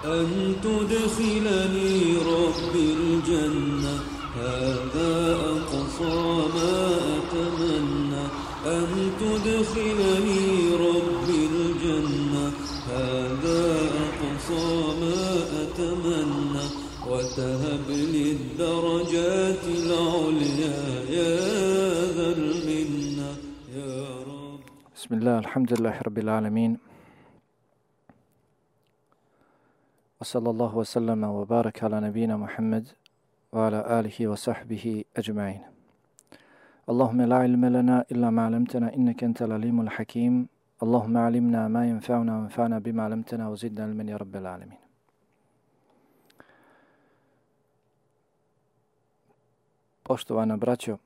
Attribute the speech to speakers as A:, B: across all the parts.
A: أن تدخلني ربي الجنة هذا أقصى ما أتمنى أن تدخلني ربي الجنة هذا أقصى ما أتمنى وتهب لي الدرجات العليا يا ذا المنة يا رب.
B: بسم الله الحمد لله رب العالمين وصلى الله وسلم وبارك على نبينا محمد وعلى آله وصحبه أجمعين. اللهم لا علم لنا إلا ما علمتنا إنك أنت العليم الحكيم. اللهم علمنا ما ينفعنا وانفعنا بما علمتنا وزدنا علما يا رب العالمين. Poštovana braćo,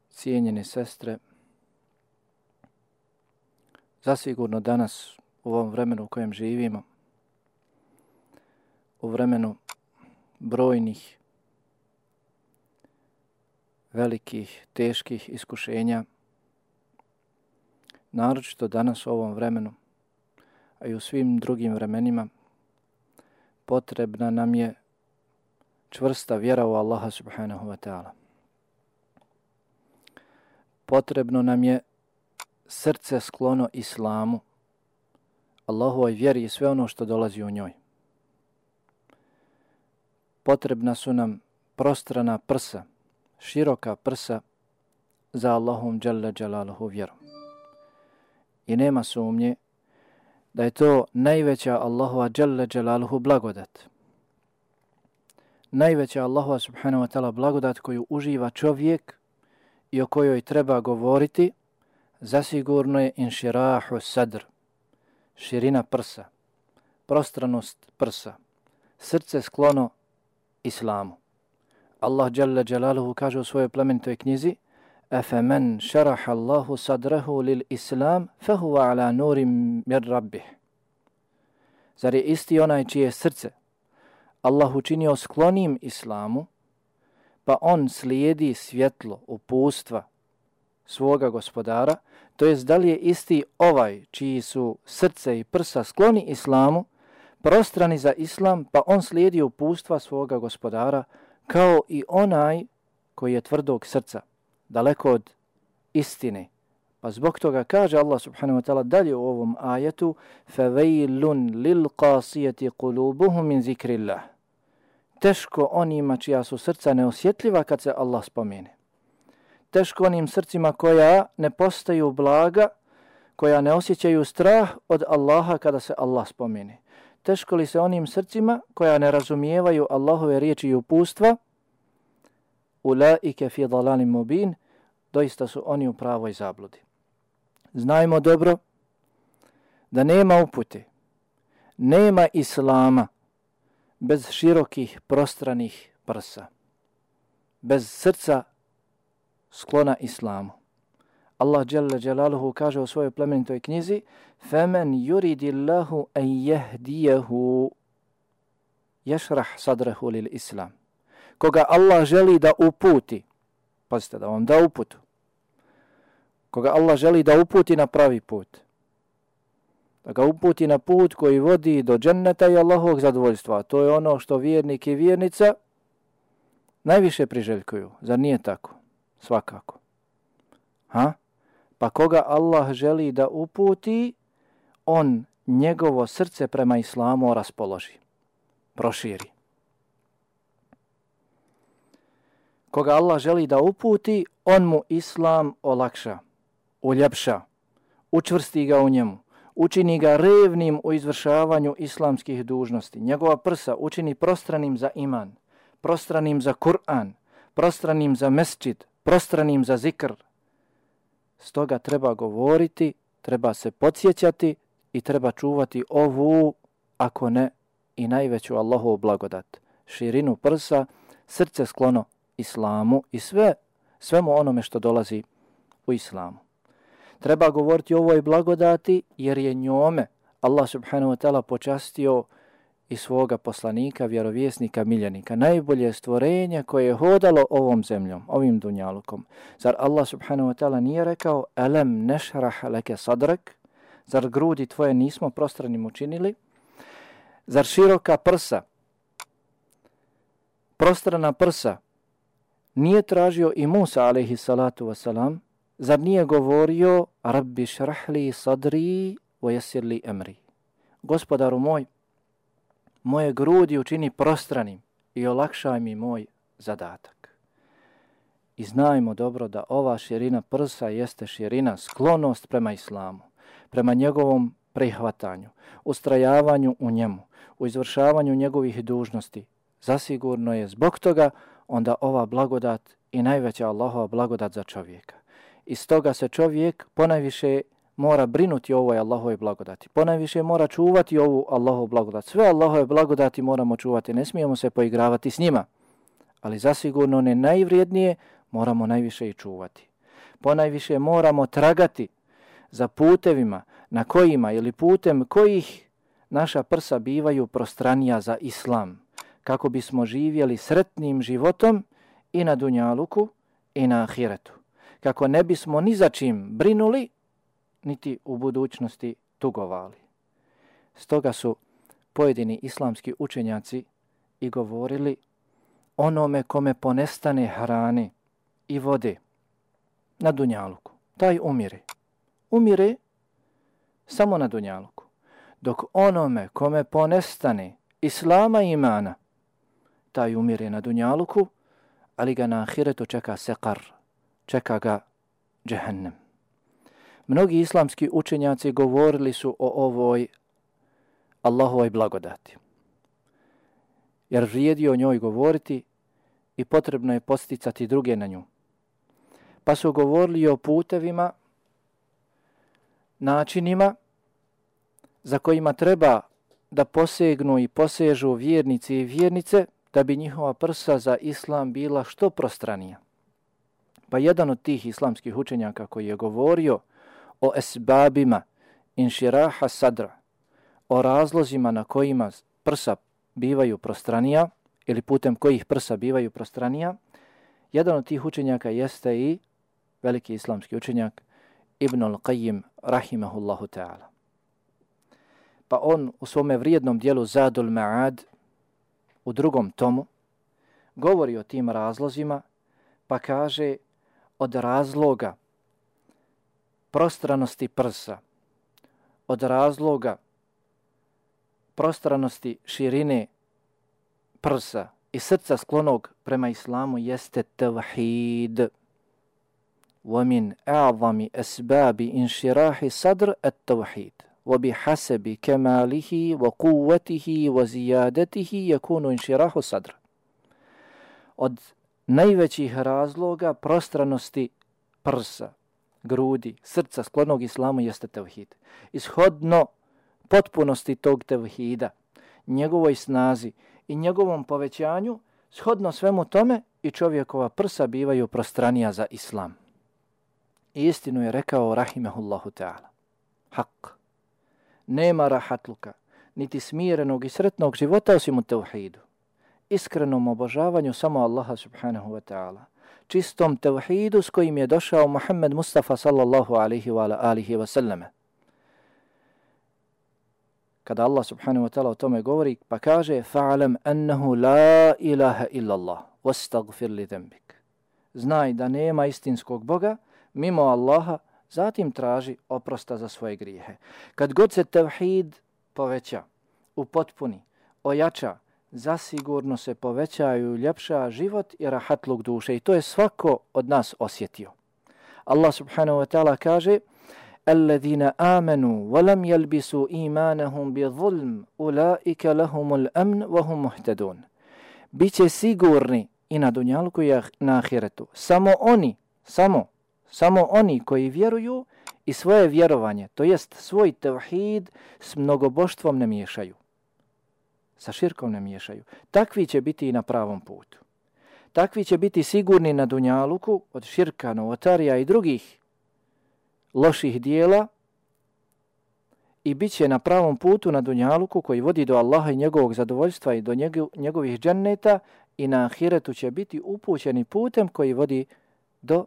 B: cijenjene sestre, zasigurno danas u ovom vremenu u kojem živimo, u vremenu brojnih, velikih, teških iskušenja, naročito danas u ovom vremenu, a i u svim drugim vremenima, potrebna nam je čvrsta vjera u Allaha subhanahu wa ta'ala. Potrebno nam je srce sklono islamu, Allahovoj vjeri i sve ono što dolazi u njoj. Potrebna su nam prostrana prsa, široka prsa za Allahom dželle dželaluhu vjerom. I nema sumnje da je to najveća Allahova dželle dželaluhu blagodat. Najveća Allahova subhanahu wa ta'ala blagodat koju uživa čovjek i o kojoj treba govoriti, zasigurno je inširahu sadr, širina prsa, prostranost prsa, srce sklono islamu. Allah dželle dželaluhu kaže u svojoj plemenitoj knjizi: "Afaman šaraha Allahu sadrahu lil islam, fahuwa ala nurim min rabbih." Zar je isti onaj čije srce Allah učinio sklonim islamu, pa on slijedi svjetlo, upustva svoga gospodara, to jest da li je isti ovaj čiji su srce i prsa skloni islamu, prostrani za islam, pa on slijedi upustva svoga gospodara, kao i onaj koji je tvrdog srca, daleko od istine. Pa zbog toga kaže Allah subhanahu wa ta'ala dalje u ovom ajetu: فَوَيْلٌ لِلْقَاسِيَةِ قُلُوبُهُمْ مِنْ ذِكْرِ اللَّهِ. Teško onima čija su srca neosjetljiva kad se Allah spomene. Teško onim srcima koja ne postaju blaga, koja ne osjećaju strah od Allaha kada se Allah spomene. Teško li se onim srcima koja ne razumijevaju Allahove riječi i upustva? Ulaike fi dalalim mubin, doista su oni u pravoj zabludi. Znajmo dobro da nema upute, nema islama bez širokih prostranih prsa, bez srca sklona islamu. Allah dželle dželaluhu kaže u svojoj plemenitoj knjizi: "Faman yuridillahu an yahdiyahu yashrah sadrahu lil islam." Koga Allah želi da uputi, pazite da vam da uputu, koga Allah želi da uputi na pravi put, da ga uputi na put koji vodi do dženneta i Allahovog zadovoljstva. To je ono što vjernik i vjernica najviše priželjkuju. Zar nije tako? Svakako. Pa koga Allah želi da uputi, on njegovo srce prema islamu raspoloži, proširi. Koga Allah želi da uputi, on mu islam olakša, uljepša, učvrsti ga u njemu, učini ga revnim u izvršavanju islamskih dužnosti. Njegova prsa učini prostranim za iman, prostranim za Kur'an, prostranim za mesdžid, prostranim za zikr. Stoga treba govoriti, treba se podsjećati i treba čuvati ovu, ako ne i najveću Allahovu blagodat. Širinu prsa, srce sklono islamu i svemu onome što dolazi u islamu. Treba govoriti o ovoj blagodati jer je njome Allah subhanahu wa ta'ala počastio i svoga poslanika, vjerovjesnika, miljenika, najbolje stvorenje koje je hodalo ovom zemljom, ovim dunjalukom. Zar Allah subhanahu wa ta'ala nije rekao: "Alam nešrah leke sadrak"? Zar grudi tvoje nismo prostranim učinili? Zar široka prsa, prostrana prsa, nije tražio i Musa alejhi salatu wasalam? Zar nije govorio Rabbi šrahli sadri wa yassir li amri? Gospodaru moj, moje grudi učini prostranim i olakšaj mi moj zadatak. I znajmo dobro da ova širina prsa jeste širina sklonost prema islamu, prema njegovom prihvatanju, ustrajavanju u njemu, u izvršavanju njegovih dužnosti. Zasigurno je zbog toga onda ova blagodat i najveća Allahova blagodat za čovjeka. I stoga se čovjek ponajviše mora brinuti o ovoj Allahove blagodati. Ponajviše mora čuvati ovu Allahovu blagodat. Sve Allahove blagodati moramo čuvati, ne smijemo se poigravati s njima. Ali zasigurno one najvrijednije moramo najviše i čuvati. Ponajviše moramo tragati za putevima na kojima ili putem kojih naša prsa bivaju prostranija za islam, kako bismo živjeli sretnim životom i na dunjaluku i na ahiretu. Kako ne bismo ni za čim brinuli, niti u budućnosti tugovali. Stoga su pojedini islamski učenjaci i govorili onome kome ponestane hrane i vode na dunjaluku, taj umire. Umire samo na dunjaluku. Dok onome kome ponestane islama i imana, taj umire na dunjaluku, ali ga na ahiretu čeka sekar, čeka ga džehennem. Mnogi islamski učenjaci govorili su o ovoj Allahovoj blagodati. Jer vrijedi o njoj govoriti i potrebno je posticati druge na nju. Pa su govorili o putevima, načinima za kojima treba da posegnu i posežu vjernici i vjernice da bi njihova prsa za islam bila što prostranija. Pa jedan od tih islamskih učenjaka koji je govorio o esbabima inširaha sadra, o razlozima na kojima prsa bivaju prostranija ili putem kojih prsa bivaju prostranija, jedan od tih učenjaka jeste i veliki islamski učenjak Ibn al-Qayyim rahimahullahu ta'ala. Pa on u svome vrijednom dijelu Zadul Ma'ad u 2. tomu govori o tim razlozima, pa kaže od razloga prostranosti prsa, od razloga prostranosti širine prsa i srca sklonog prema islamu jeste tevhid. وَمِنْ أَعْظَمِ أَسْبَابِ إِنْشِرَاحِ صَدْرِ التَّوْحِيدِ وَبِحَسَبِ كَمَالِهِ وَقُوَّتِهِ وَزِيَادَتِهِ يَكُونُ إِنْشِرَاحُ صَدْرِ. Od najvećih razloga prostranosti prsa, grudi, srca sklonog islamu jeste tevhid. Ishodno potpunosti tog tevhida, njegovoj snazi i njegovom povećanju, shodno svemu tome i čovjekova prsa bivaju prostranija za islam. I istinu je rekao rahimehullahu ta'ala. Hak. Nema rahatluka, niti smirenog i sretnog života osim u tevhidu. Iskrenom obožavanju samo Allaha subhanahu wa ta'ala. Čistom tevhidu s kojim je došao Muhammed Mustafa sallallahu alihi wa alihi wa sallame. Kada Allah subhanahu wa ta'ala o tome govori, pa kaže fa'alam annahu la ilaha illa Allah wastaghfir li dhanbik. Znaj da nema istinskog Boga mimo Allaha, zatim traži oprosta za svoje grijehe. Kad god se tevhid poveća, upotpuni, ojača, zasigurno se povećaju i ljepša život i rahatluk duše. I to je svako od nas osjetio. Allah subhanahu wa ta'ala kaže الَّذِينَ آمَنُوا وَلَمْ يَلْبِسُوا إِيمَانَهُمْ بِظُلْمٍ أُولَٰئِكَ لَهُمُ الْأَمْنُ وَهُمْ مُهْتَدُونَ. Biće sigurni i na dunjalku i na ahiretu. Samo oni koji vjeruju i svoje vjerovanje, to jest svoj tevhid, s mnogoboštvom ne miješaju. Sa širkom ne miješaju. Takvi će biti i na pravom putu. Takvi će biti sigurni na dunjaluku od širka, novotarija i drugih loših dijela i bit će na pravom putu na dunjaluku koji vodi do Allaha i njegovog zadovoljstva i do njegovih dženneta i na ahiretu će biti upućeni putem koji vodi do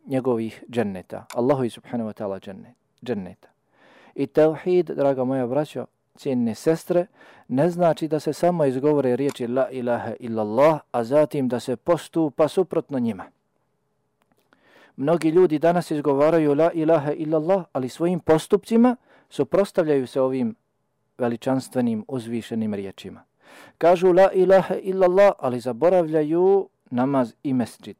B: njegovih dženneta. Allahu subhanahu wa ta'ala dženneta. I tevhid, draga moja braćo, cijenine sestre, ne znači da se samo izgovore riječi la ilaha illallah, a zatim da se postupa suprotno njima. Mnogi ljudi danas izgovaraju la ilaha illallah, ali svojim postupcima suprotstavljaju se ovim veličanstvenim, uzvišenim riječima. Kažu la ilaha illallah, ali zaboravljaju namaz i mesdžid.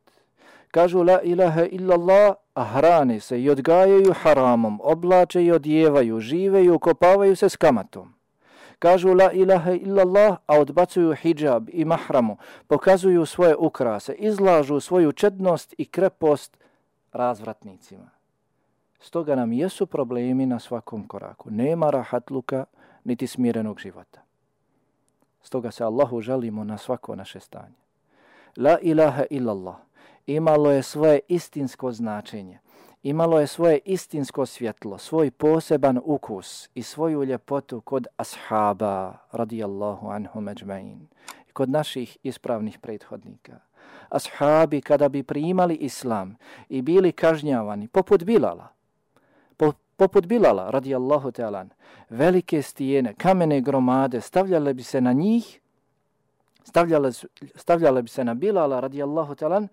B: Kažu la ilaha illallah, a hrane se i odgajaju haramom, oblače i odjevaju, žive i ukopavaju se s kamatom. Kažu la ilaha illallah, a odbacuju hidžab i mahramu, pokazuju svoje ukrase, izlažu svoju čednost i krepost razvratnicima. Stoga nam jesu problemi na svakom koraku. Nema rahatluka niti smirenog života. Stoga se Allahu žalimo na svako naše stanje. La ilaha illallah imalo je svoje istinsko značenje, imalo je svoje istinsko svjetlo, svoj poseban ukus i svoju ljepotu kod ashaba radijallahu anhum ajma'in i kod naših ispravnih prethodnika. Ashabi kada bi primali islam i bili kažnjavani poput Bilala radijallahu ta'ala, velike stijene, kamene gromade stavljale bi se na njih, stavljale bi se na Bilala radijallahu ta'ala,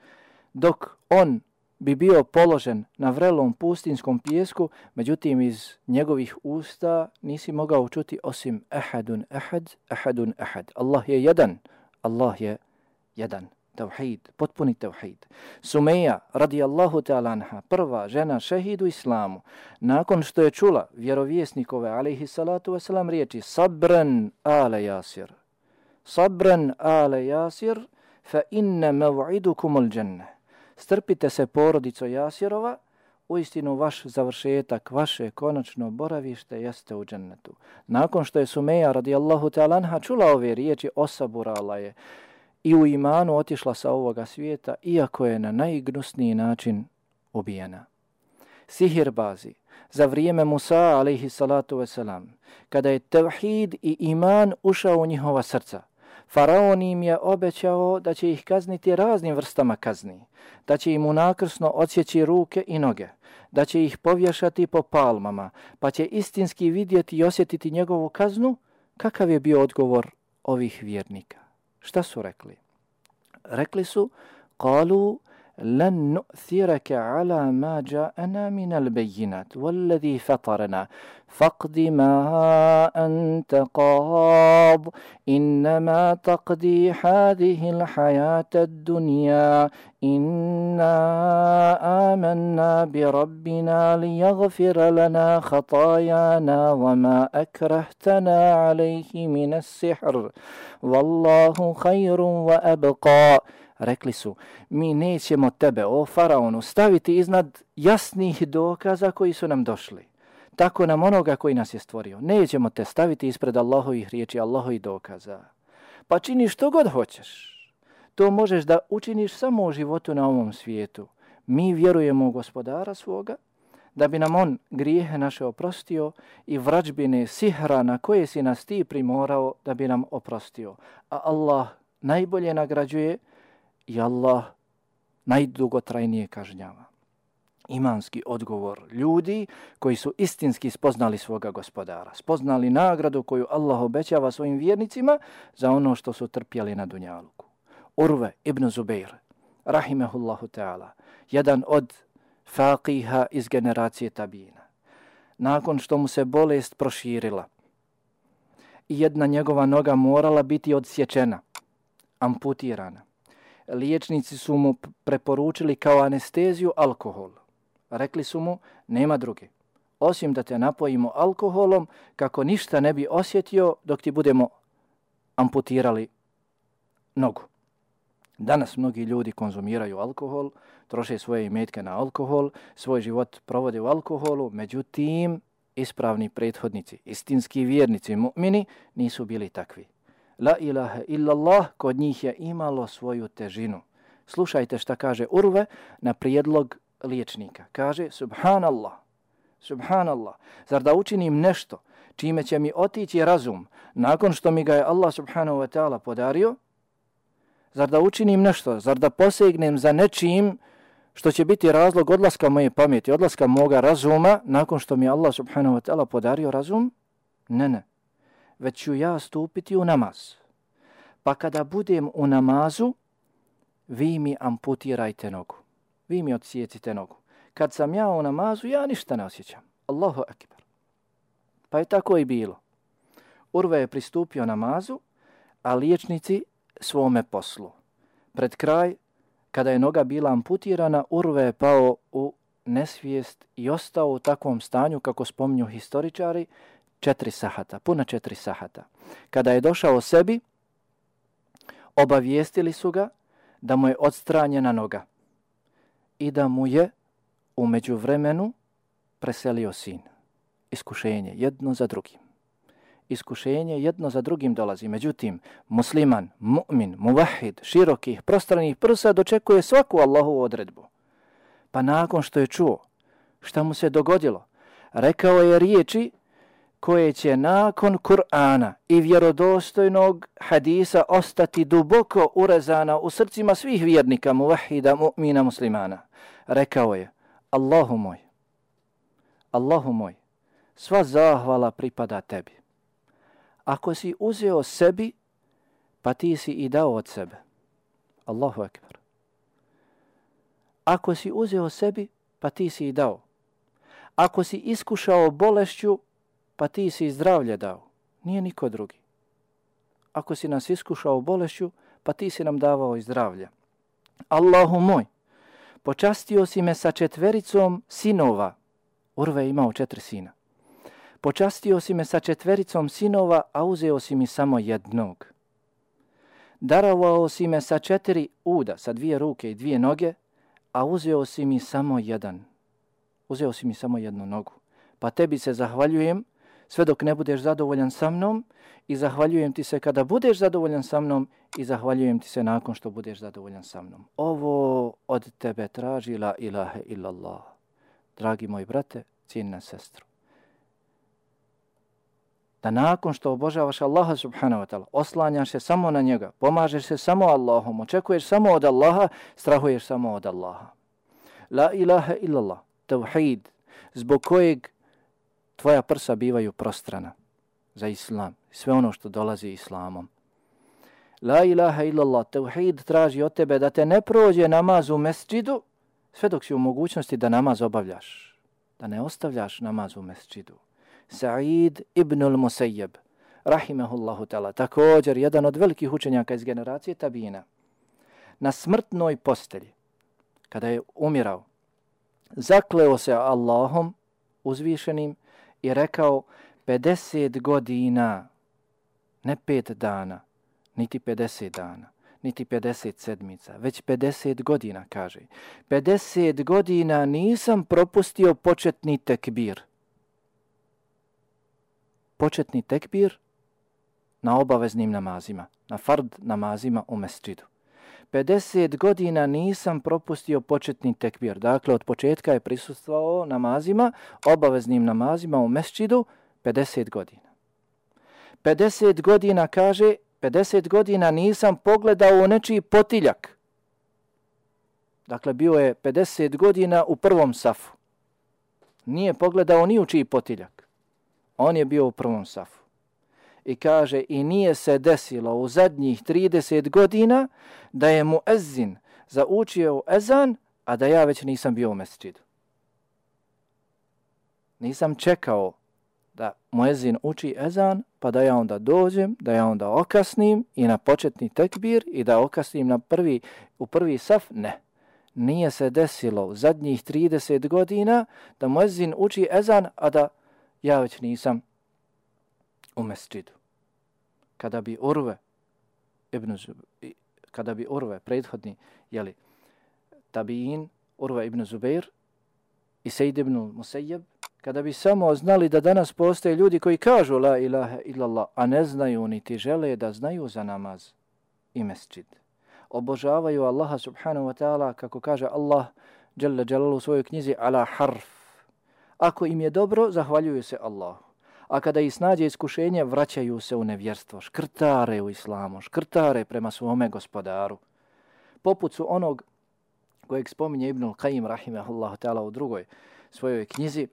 B: dok on bi bio položen na vrelom pustinskom pijesku, međutim iz njegovih usta nisi mogao čuti osim ahadun ahad, ahadun ahad. Allah je jedan, Allah je jedan. Tauhid, potpuni tauhid. Sumeja radijallahu ta'ala anha, prva žena šehid u islamu, nakon što je čula vjerovjesnikove alejhi salatu vesselam riječi sabran ala Jasir. Sabran ala Jasir, fa inna maw'idukumul džennah. Strpite se porodico Jasirova, uistinu vaš završetak, vaše konačno boravište jeste u džennetu. Nakon što je Sumeja radijallahu ta'ala anha čula ove riječi, osaburala je i u imanu otišla sa ovoga svijeta, iako je na najgnusniji način ubijena. Sihirbazi za vrijeme Musa alejhi salatu vesselam, kada je tevhid i iman ušao u njihova srca, Faraon im je obećao da će ih kazniti raznim vrstama kazni, da će im unakrsno odsjeći ruke i noge, da će ih povješati po palmama, pa će istinski vidjeti i osjetiti njegovu kaznu. Kakav je bio odgovor ovih vjernika? Šta su rekli? Rekli su, qalu lan nu'thiraka ala ma ja'ana min al-bayyinat walladhi fatarana faqdi ma anta qad innama taqdi hadhihi al-hayata ad-dunya inna amanna bi rabbina liyaghfira lana khatayana wama akrahtana alayhi min as-sihr wallahu khayrun wa abqa. Rekli su, mi nećemo tebe, o faraonu, staviti iznad jasnih dokaza koji su nam došli. Tako nam onoga koji nas je stvorio. Nećemo te staviti ispred Allahovih riječi, Allahovih dokaza. Pa čini što god hoćeš. To možeš da učiniš samo u životu na ovom svijetu. Mi vjerujemo u Gospodara svoga, da bi nam on grijehe naše oprostio i vrađbine sihra na koje si nas ti primorao da bi nam oprostio. A Allah najbolje nagrađuje i Allah najdugotrajnije kažnjava. Imanski odgovor ljudi koji su istinski spoznali svoga Gospodara, spoznali nagradu koju Allah obećava svojim vjernicima za ono što su trpjeli na dunjaluku. Urve ibn Zubeir, rahimehullahu ta'ala, jedan od faqiha iz generacije tabina, nakon što mu se bolest proširila i jedna njegova noga morala biti odsječena, amputirana, liječnici su mu preporučili kao anesteziju alkohol. Rekli su mu, nema druge, osim da te napojimo alkoholom kako ništa ne bi osjetio dok ti budemo amputirali nogu. Danas mnogi ljudi konzumiraju alkohol, troše svoje imetke na alkohol, svoj život provode u alkoholu, međutim, ispravni prethodnici, istinski vjernici, mu'mini, nisu bili takvi. La ilaha illallah kod njih je imalo svoju težinu. Slušajte šta kaže Urve na prijedlog liječnika. Kaže, subhanallah, subhanallah, zar da učinim nešto čime će mi otići razum nakon što mi ga je Allah subhanahu wa ta'ala podario? Zar da učinim nešto, zar da posegnem za nečim što će biti razlog odlaska moje pameti, odlaska moga razuma nakon što mi Allah subhanahu wa ta'ala podario razum? Ne, ne. već ću ja stupiti u namaz. Pa kada budem u namazu, vi mi amputirajte nogu. Vi mi odsjecite nogu. Kad sam ja u namazu, ja ništa ne osjećam. Allahu akbar. Pa je tako i bilo. Urve je pristupio namazu, a liječnici svome poslu. Pred kraj, kada je noga bila amputirana, Urve je pao u nesvijest i ostao u takvom stanju, kako spominju historičari, 4 sahata, puna 4 sahata. Kada je došao sebi, obavijestili su ga da mu je odstranjena noga i da mu je u međuvremenu preselio sin. Iskušenje jedno za drugim. Iskušenje jedno za drugim dolazi. Međutim, musliman, mu'min, muvahid, širokih, prostranih prsa dočekuje svaku Allahovu odredbu. Pa nakon što je čuo šta mu se dogodilo, rekao je riječi koje će nakon Kur'ana i vjerodostojnog hadisa ostati duboko urezana u srcima svih vjernika, muvahida, mu'mina, muslimana. Rekao je, Allahu moj, sva zahvala pripada tebi. Ako si uzeo sebi, pa ti si i dao od sebe. Allahu akbar. Ako si uzeo sebi, pa ti si i dao. Ako si iskušao bolešću, pa ti si zdravlje dao. Nije niko drugi. Ako si nas iskušao bolešću, pa ti si nam davao i zdravlje. Allahu moj, počastio si me sa 4 sinova. Urve je imao 4 sina. Počastio si me sa 4 sinova, a uzeo si mi samo jednog. Darovao si me sa 4 uda, sa 2 ruke i 2 noge, a uzeo si mi samo jedan. Uzeo si mi samo jednu nogu. Pa tebi se zahvaljujem sve dok ne budeš zadovoljan sa mnom i zahvaljujem ti se kada budeš zadovoljan sa mnom i zahvaljujem ti se nakon što budeš zadovoljan sa mnom. Ovo od tebe traži la ilaha illallah. Dragi moji brate, cijenjena sestro, da nakon što obožavaš Allaha subhanahu wa ta'ala, oslanjaš se samo na njega, pomažeš se samo Allahom, očekuješ samo od Allaha, strahuješ samo od Allaha. La ilaha illallah, tauhid, zbog kojeg tvoja prsa bivaju prostrana za islam, sve ono što dolazi islamom. La ilaha illallah, tauhid traži od tebe da te ne prođe namaz u mesdžidu, sve dok si u mogućnosti da namaz obavljaš, da ne ostavljaš namaz u mesdžidu. Sa'id ibn al-Musayyab, rahimahullahu ta'ala, također jedan od velikih učenjaka iz generacije tabina, na smrtnoj postelji, kada je umirao, zakleo se Allahom uzvišenim i rekao 50 godina, ne 5 dana, niti 50 dana, niti 50 sedmica, već 50 godina, kaže. 50 godina nisam propustio početni tekbir. Početni tekbir na obaveznim namazima, na fard namazima u mesdžidu. 50 godina nisam propustio početni tekbir. Dakle, od početka je prisustvovao namazima, obaveznim namazima u mesdžidu 50 godina. 50 godina, kaže, 50 godina nisam pogledao u nečiji potiljak. Dakle, bio je 50 godina u prvom safu. Nije pogledao ni u čiji potiljak. On je bio u prvom safu. I kaže, i nije se desilo u zadnjih 30 godina da je muezzin zaučio ezan, a da ja već nisam bio u mesdžidu. Nisam čekao da muezzin uči ezan, pa da ja onda dođem, da ja onda okasnim i na početni tekbir i da okasnim u prvi saf. Ne. Nije se desilo u zadnjih 30 godina da muezzin uči ezan, a da ja već nisam u mesdžidu. Kada bi Urve, prethodni, tabiin, Urve ibn Zubair i Sejid ibn Musayyab, kada bi samo znali da danas postoje ljudi koji kažu la ilaha illallah, a ne znaju niti žele da znaju za namaz i mesdžid. Obožavaju Allaha subhanahu wa ta'ala, kako kaže Allah dželle dželaluhu u svojoj knjizi, ala harf. Ako im je dobro, zahvaljuju se Allahu. A kada ih snađe iskušenje, vraćaju se u nevjerstvo, škrtare u islamu, škrtare prema svome gospodaru. Poput su onog kojeg spominje Ibnul Qayyim rahimahullahu ta'ala u drugoj svojoj knjizi,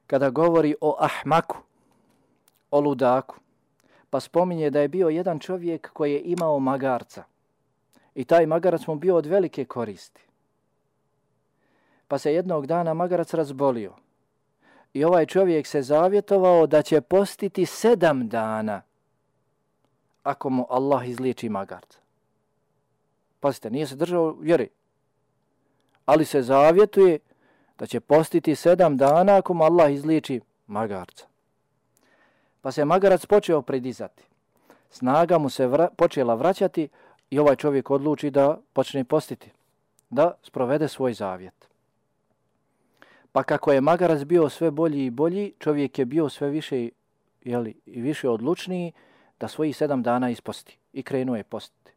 B: kada govori o ahmaku, o ludaku, pa spominje da je bio jedan čovjek koji je imao magarca i taj magarac mu bio od velike koristi. Pa se jednog dana magarac razbolio i ovaj čovjek se zavjetovao da će postiti 7 dana ako mu Allah izliječi magarca. Pazite, nije se držao vjeri, ali se zavjetuje da će postiti 7 dana ako mu Allah izliječi magarca. Pa se magarac počeo pridizati. Snaga mu se počela vraćati i ovaj čovjek odluči da počne postiti, da sprovede svoj zavjet. Pa kako je magarac bio sve bolji i bolji, čovjek je bio sve više, i više odlučniji da svojih 7 dana isposti i krenuo je postiti.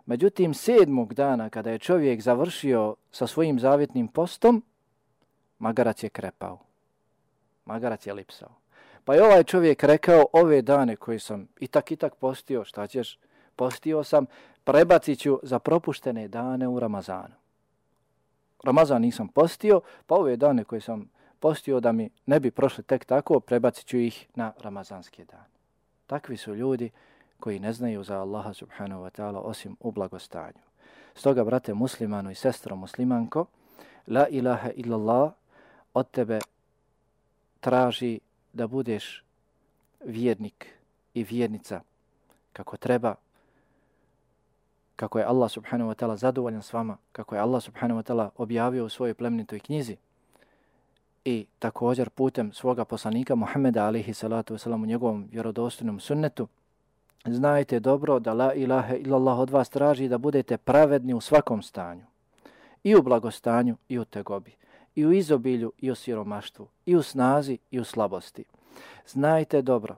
B: Međutim, 7. dana kada je čovjek završio sa svojim zavjetnim postom, magarac je krepao. Magarac je lipsao. Pa je ovaj čovjek rekao, ove dane koje sam i tak postio, šta ćeš, postio sam, prebacit ću za propuštene dane u Ramazanu. Ramazan nisam postio, pa ove dane koje sam postio da mi ne bi prošli tek tako, prebacit ću ih na ramazanske dane. Takvi su ljudi koji ne znaju za Allaha subhanahu wa ta'ala osim u blagostanju. Stoga, brate muslimanu i sestro muslimanko, la ilaha illallah od tebe traži da budeš vjernik i vjernica kako treba, kako je Allah subhanahu wa ta'ala zadovoljan s vama, kako je Allah subhanahu wa ta'ala objavio u svojoj plemenitoj knjizi i također putem svoga poslanika Muhammeda alaihi salatu wasalam u njegovom vjerodostojnom sunnetu. Znajte dobro da la ilaha illallah od vas traži da budete pravedni u svakom stanju. I u blagostanju i u tegobi. I u izobilju i u siromaštvu. I u snazi i u slabosti. Znajte dobro.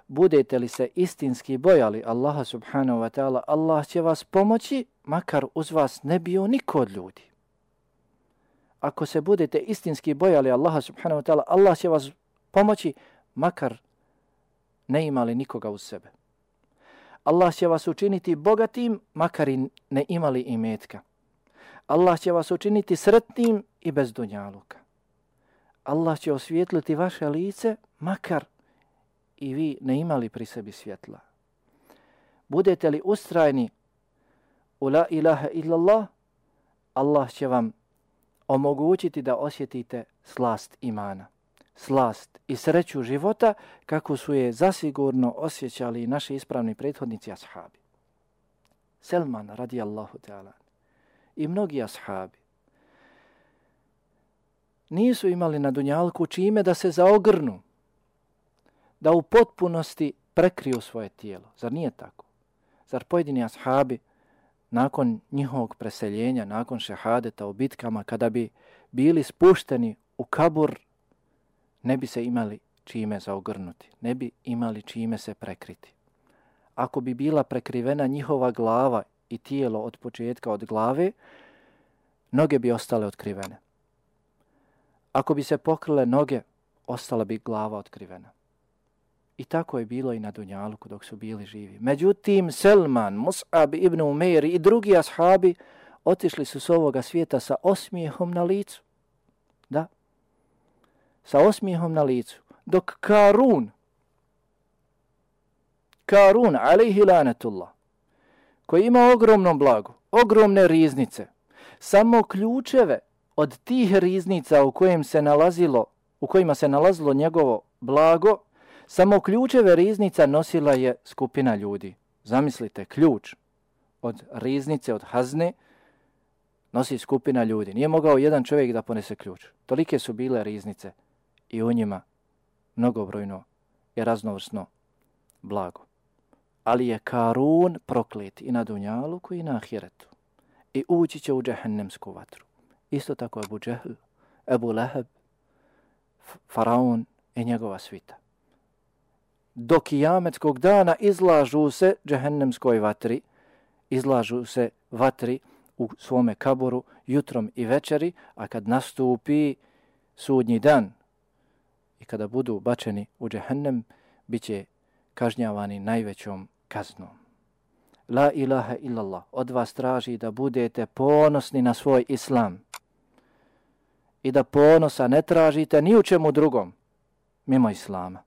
B: Budete li se istinski bojali Allaha subhanahu wa ta'ala, Allah će vas pomoći, makar uz vas ne bio niko od ljudi. Ako se budete istinski bojali Allaha subhanahu wa ta'ala, Allah će vas pomoći, makar ne imali nikoga uz sebe. Allah će vas učiniti bogatim, makar i ne imali imetka. Allah će vas učiniti sretnim i bez dunjaluka. Allah će osvijetliti vaše lice, makar i vi ne imali pri sebi svjetla. Budete li ustrajni u la ilaha illallah, Allah će vam omogućiti da osjetite slast imana, slast i sreću života kako su je zasigurno osjećali naši ispravni prethodnici ashabi. Selman radijallahu ta'ala i mnogi ashabi nisu imali na dunjalku čime da se zaogrnu, da u potpunosti prekriju svoje tijelo. Zar nije tako? Zar pojedini ashabi nakon njihovog preseljenja, nakon šehadeta u bitkama, kada bi bili spušteni u kabur, ne bi se imali čime zaogrnuti, ne bi imali čime se prekriti. Ako bi bila prekrivena njihova glava i tijelo od početka od glave, noge bi ostale otkrivene. Ako bi se pokrile noge, ostala bi glava otkrivena. I tako je bilo i na dunjaluku dok su bili živi. Međutim, Selman, Mus'ab ibn Umeir i drugi ashabi otišli su s ovoga svijeta sa osmijehom na licu. Da, sa osmijehom na licu. Dok Karun, alejhi lanetullah, koji ima ogromno blago, ogromne riznice, samo ključeve od tih riznica u kojima se nalazilo njegovo blago, samo ključeve riznica nosila je skupina ljudi. Zamislite, ključ od riznice, od hazne, nosi skupina ljudi. Nije mogao jedan čovjek da ponese ključ. Tolike su bile riznice i u njima mnogobrojno i raznovrsno blago. Ali je Karun proklet i na dunjaluku i na ahiretu. I ući će u džehennemsku vatru. Isto tako Abu Džehl, Ebu Leheb, Faraon i njegova svita. Do kijametskog dana izlažu se džehennemskoj vatri, izlažu se vatri u svome kaboru jutrom i večeri, a kad nastupi sudnji dan i kada budu bačeni u džehennem, bit će kažnjavani najvećom kaznom. La ilaha illallah od vas traži da budete ponosni na svoj islam i da ponosa ne tražite ni u čemu drugom, mimo Islama.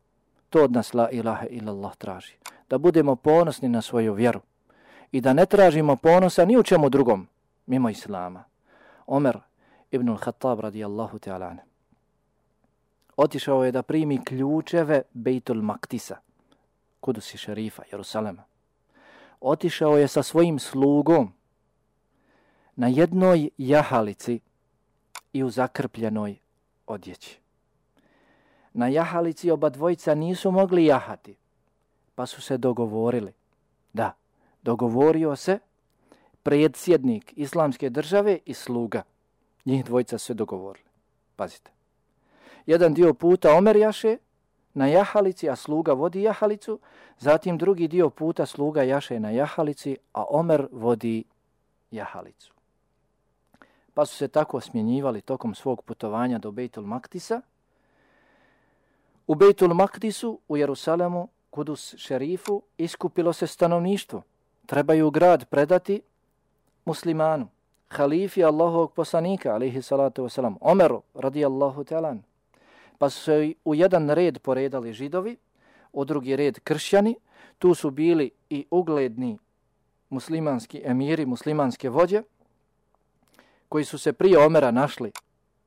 B: To od nas la ilaha illallah traži. Da budemo ponosni na svoju vjeru i da ne tražimo ponosa ni u čemu drugom mimo Islama. Omer ibn al-Khattab radijallahu ta'ala anhu otišao je da primi ključeve Bejtul Maktisa, Kudusi šerifa, Jerusalema. Otišao je sa svojim slugom na jednoj jahalici i u zakrpljenoj odjeći. Na jahalici oba dvojica nisu mogli jahati, pa su se dogovorili. Da, dogovorio se predsjednik islamske države i sluga. Njih dvojica su se dogovorili. Pazite. Jedan dio puta Omer jaše na jahalici, a sluga vodi jahalicu. Zatim drugi dio puta sluga jaše na jahalici, a Omer vodi jahalicu. Pa su se tako smjenjivali tokom svog putovanja do Bejtul Maktisa. U Bejtul Maktisu, u Jerusalemu, Kudus šerifu, iskupilo se stanovništvo. Trebaju grad predati muslimanu, halifi Allahovog poslanika, alaihi salatu wasalam, Omeru, radijallahu ta'ala. Pa su se u jedan red poredali židovi, u drugi red kršćani. Tu su bili i ugledni muslimanski emiri, muslimanske vođe, koji su se prije Omera našli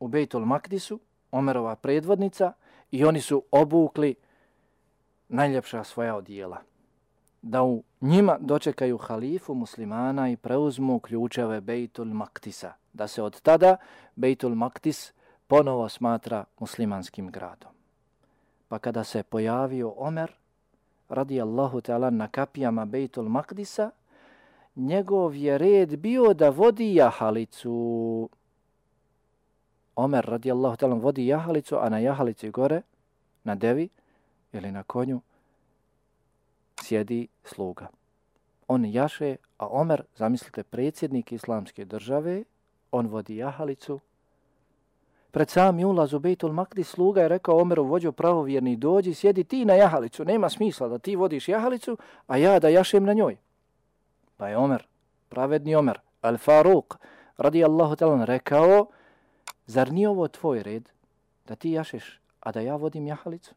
B: u Bejtul Makdisu, Omerova predvodnica, i oni su obukli najljepša svoja odijela. Da u njima dočekaju halifu muslimana i preuzmu ključeve Bejtul Maktisa. Da se od tada Bejtul Maktis ponovo smatra muslimanskim gradom. Pa kada se pojavio Omer, radijallahu ta'ala, na kapijama Bejtul Maktisa, njegov je red bio da vodi jahalicu. Omer, radijallahu ta'ala, vodi jahalicu, a na jahalici gore, na devi ili na konju, sjedi sluga. On jaše, a Omer, zamislite, predsjednik islamske države, on vodi jahalicu. Pred sami ulaz u Bejtul Makdis sluga je rekao Omeru, vođo pravovjerni, dođi, sjedi ti na jahalicu. Nema smisla da ti vodiš jahalicu, a ja da jašem na njoj. Pa je Omer, pravedni Omer, Al-Faruq, radijallahu ta'ala, rekao, zar nije ovo tvoj red da ti jašeš, a da ja vodim jahalicu?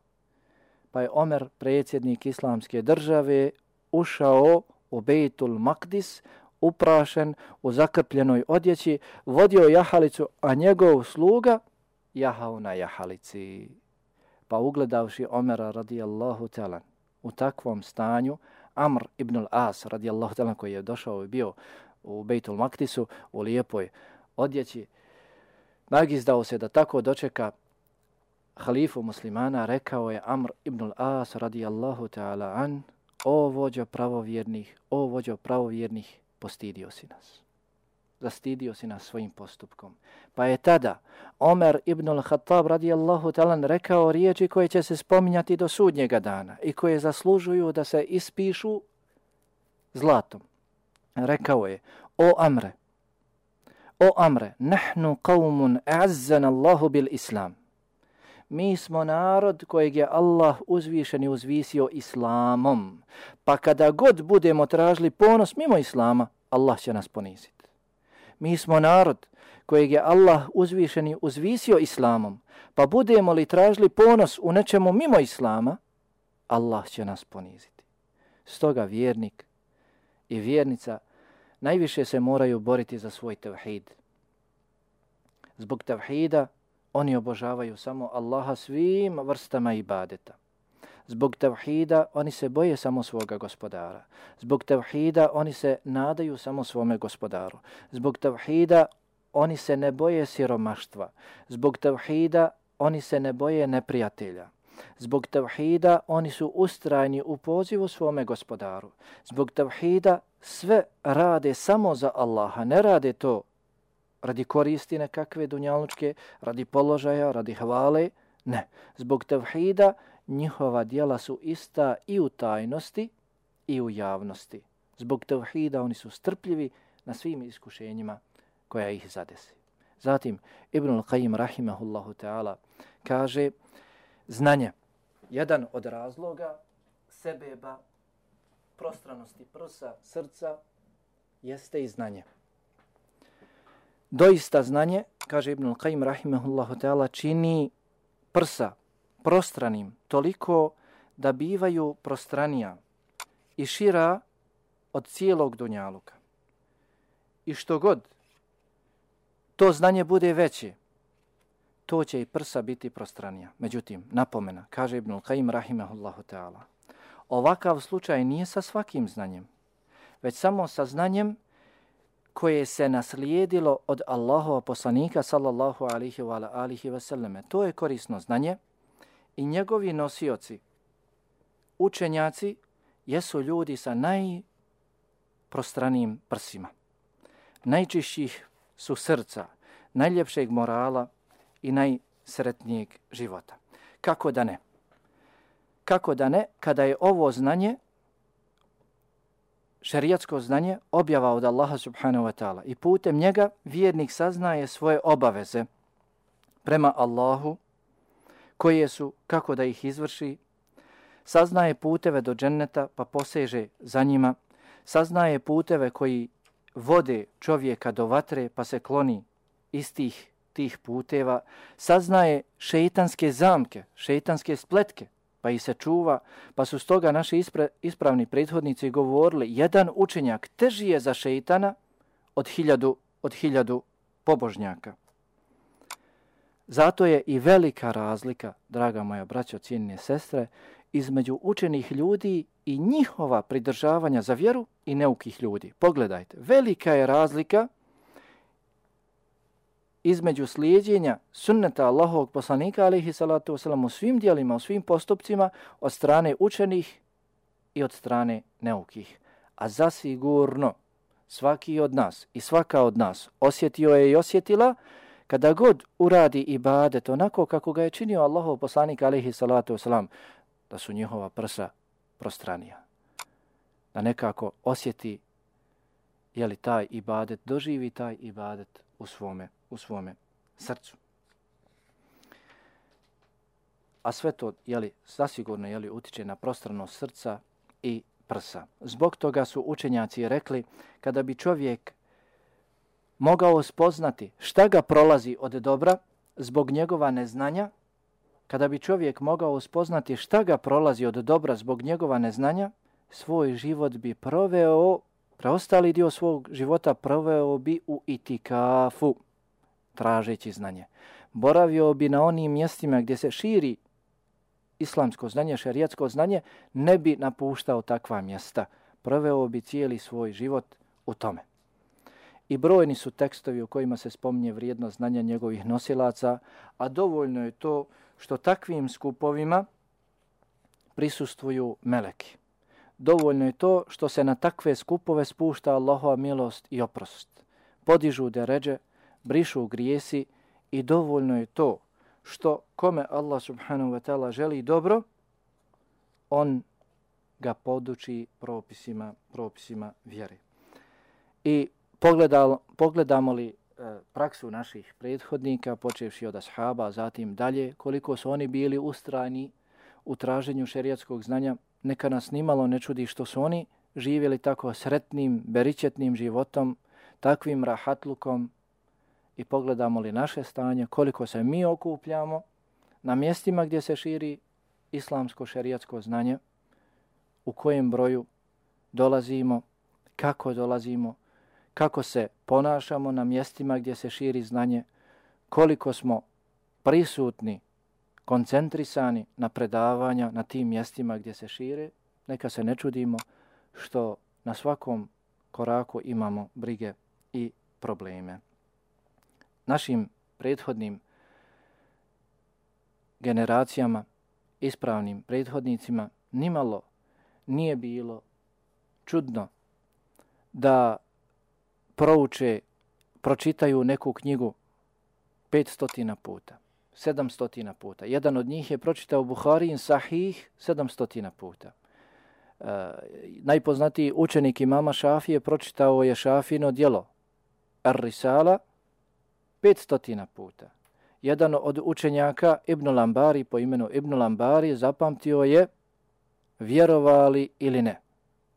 B: Pa je Omer, predsjednik islamske države, ušao u Bejtul Makdis, uprašen u zakrpljenoj odjeći, vodio jahalicu, a njegov sluga jahao na jahalici. Pa ugledavši Omera radijallahu ta'ala u takvom stanju, Amr ibn al-As radijallahu ta'ala, koji je došao i bio u Bejtul Makdisu u lijepoj odjeći, nagizdao se da tako dočeka halifu muslimana, rekao je Amr ibn al-As radijallahu ta'ala an, o vođo pravovjernih, postidio si nas. Zastidio si nas svojim postupkom. Pa je tada Omer ibn al-Khattab radijallahu ta'ala rekao riječi koje će se spominjati do sudnjega dana i koje zaslužuju da se ispišu zlatom. Rekao je, o Amre, nahnu qawmun a'azzana Allahu bil Islam. Mi smo narod kojeg je Allah uzvišen i uzvisio islamom. Pa kada god budemo tražili ponos mimo islama, Allah će nas poniziti. Mi smo narod kojeg je Allah uzvišen i uzvisio islamom. Pa budemo li tražili ponos u nečemu mimo islama, Allah će nas poniziti. Stoga vjernik i vjernica najviše se moraju boriti za svoj tevhid. Zbog tevhida oni obožavaju samo Allaha svim vrstama ibadeta. Zbog tevhida oni se boje samo svoga gospodara. Zbog tevhida oni se nadaju samo svome gospodaru. Zbog tevhida oni se ne boje siromaštva. Zbog tevhida oni se ne boje neprijatelja. Zbog tevhida oni su ustrajni u pozivu svome gospodaru. Zbog tevhida sve rade samo za Allaha. Ne rade to radi koristi nekakve dunjalučke, radi položaja, radi hvale. Ne. Zbog tevhida njihova djela su ista i u tajnosti i u javnosti. Zbog tevhida oni su strpljivi na svim iskušenjima koja ih zadesi. Zatim Ibn al-Qayyim rahimahullahu ta'ala kaže, znanje, jedan od razloga sebeba, prostranosti prsa, srca, jeste i znanje. Doista znanje, kaže Ibn al-Qayyim rahimahullahu ta'ala, čini prsa prostranim, toliko da bivaju prostranija i šira od cijelog dunjaluka. I što god to znanje bude veće, to će i prsa biti prostranija. Međutim, napomena, kaže Ibnul Qayyim rahimahullahu ta'ala, ovakav slučaj nije sa svakim znanjem, već samo sa znanjem koje se naslijedilo od Allahova poslanika sallallahu alihi wa sallame. To je korisno znanje i njegovi nosioci, učenjaci, jesu ljudi sa najprostranijim prsima. Najčišćih su srca, najljepšeg morala i najsretnijeg života. Kako da ne? Kako da ne kada je ovo znanje, šerijatsko znanje, objava od Allaha subhanahu wa ta'ala i putem njega vjernik saznaje svoje obaveze prema Allahu, koje su kako da ih izvrši, saznaje puteve do dženneta pa poseže za njima, saznaje puteve koji vode čovjeka do vatre pa se kloni iz tih puteva, saznaje šeitanske zamke, šeitanske spletke pa ih se čuva, pa su stoga naši ispravni prethodnici govorili, jedan učenjak teži je za šeitana od hiljadu pobožnjaka. Zato je i velika razlika, draga moja braćo, cijenjene sestre, između učenih ljudi i njihova pridržavanja za vjeru i neukih ljudi. Pogledajte, velika je razlika između slijedjenja sunneta Allahovog poslanika alejhi salatu vesselam u svim djelima, u svim postupcima od strane učenih i od strane neukih. A zasigurno svaki od nas i svaka od nas osjetio je i osjetila kada god uradi ibadet onako kako ga je činio Allahov poslanik alejhi salatu vesselam, da su njihova prsa prostranija. Da nekako osjeti je li taj ibadet, doživi taj ibadet u svome srcu. A sve to zasigurno utiče na prostranost srca i prsa. Zbog toga su učenjaci rekli, kada bi čovjek mogao spoznati šta ga prolazi od dobra zbog njegova neznanja, kada bi čovjek mogao spoznati šta ga prolazi od dobra zbog njegova neznanja, svoj život bi preostali dio svog života proveo bi u itikafu, tražeći znanje. Boravio bi na onim mjestima gdje se širi islamsko znanje, šerijatsko znanje, ne bi napuštao takva mjesta. Proveo bi cijeli svoj život u tome. I brojni su tekstovi u kojima se spominje vrijednost znanja njegovih nosilaca, a dovoljno je to što takvim skupovima prisustvuju meleki. Dovoljno je to što se na takve skupove spušta Allahova milost i oprost. Podižu deredže, brišu grijesi i dovoljno je to što kome Allah subhanahu wa ta'ala želi dobro, on ga poduči propisima vjere. I pogledamo li praksu naših prethodnika, počevši od ashaba, zatim dalje, koliko su oni bili ustrajni u traženju šerijatskog znanja, neka nas nimalo ne čudi što su oni živjeli tako sretnim, beričetnim životom, takvim rahatlukom, i pogledamo li naše stanje, koliko se mi okupljamo na mjestima gdje se širi islamsko šerijatsko znanje, u kojem broju dolazimo, kako se ponašamo na mjestima gdje se širi znanje, koliko smo prisutni, koncentrisani na predavanja na tim mjestima gdje se šire, neka se ne čudimo što na svakom koraku imamo brige i probleme. Našim prethodnim generacijama, ispravnim prethodnicima, nimalo nije bilo čudno da pročitaju neku knjigu 500 puta, 700 puta. Jedan od njih je pročitao Buharijin Sahih 700 puta. Najpoznatiji učenik imama Šafije pročitao je Šafino djelo Ar-Risala 500 puta. Jedan od učenjaka Ibn Lambari po imenu Ibn Lambari zapamtio je, vjerovali ili ne,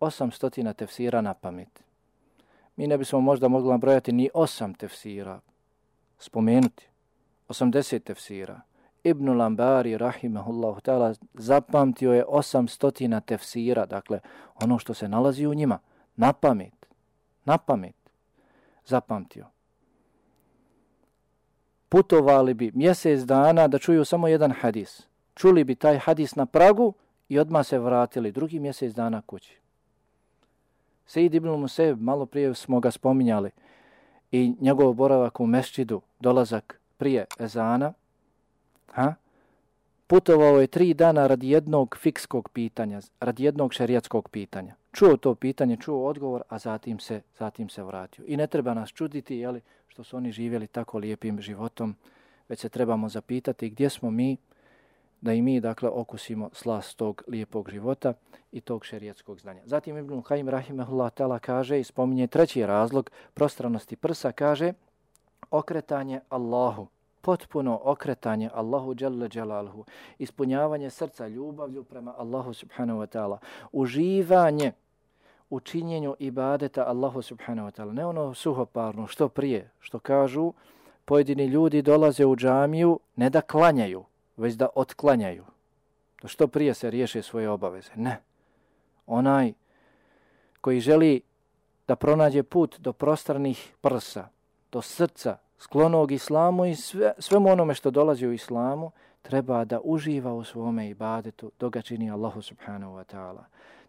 B: 800 tefsira na pamet. Mi ne bismo možda mogli nabrojati ni 8 tefsira, spomenuti 80 tefsira Ibn Lambari, rahimahullahu ta'ala, zapamtio je 800 tefsira, dakle, ono što se nalazi u njima, na pamet, zapamtio. Putovali bi mjesec dana da čuju samo jedan hadis. Čuli bi taj hadis na pragu i odmah se vratili drugi mjesec dana kući. Sejid ibn Musejb, malo prije smo ga spominjali, i njegov boravak u mesčidu, dolazak prije ezana, putovao je 3 dana radi jednog fikskog pitanja, radi jednog šerijatskog pitanja. Čuo to pitanje, čuo odgovor, a zatim se vratio. I ne treba nas čuditi, jeli, što su oni živjeli tako lijepim životom, već se trebamo zapitati gdje smo mi, da i mi, dakle, okusimo slast tog lijepog života i tog šerijatskog znanja. Zatim Ibn Kajim rahimahullah ta'ala kaže i spominje treći razlog prostranosti prsa, kaže okretanje Allahu, potpuno okretanje Allahu dželle dželaluhu, ispunjavanje srca ljubavlju prema Allahu subhanahu wa ta'ala, uživanje u činjenju ibadeta Allahu subhanahu wa ta'ala, ne ono suhoparno, što prije, što kažu pojedini ljudi dolaze u džamiju ne da klanjaju, već da otklanjaju, da što prije se riješe svoje obaveze. Ne. Onaj koji želi da pronađe put do prostranih prsa, do srca, sklonog islamu i svemu onome što dolazi u islamu, treba da uživa u svome ibadetu dok ga čini Allahu subhanahu wa ta'ala.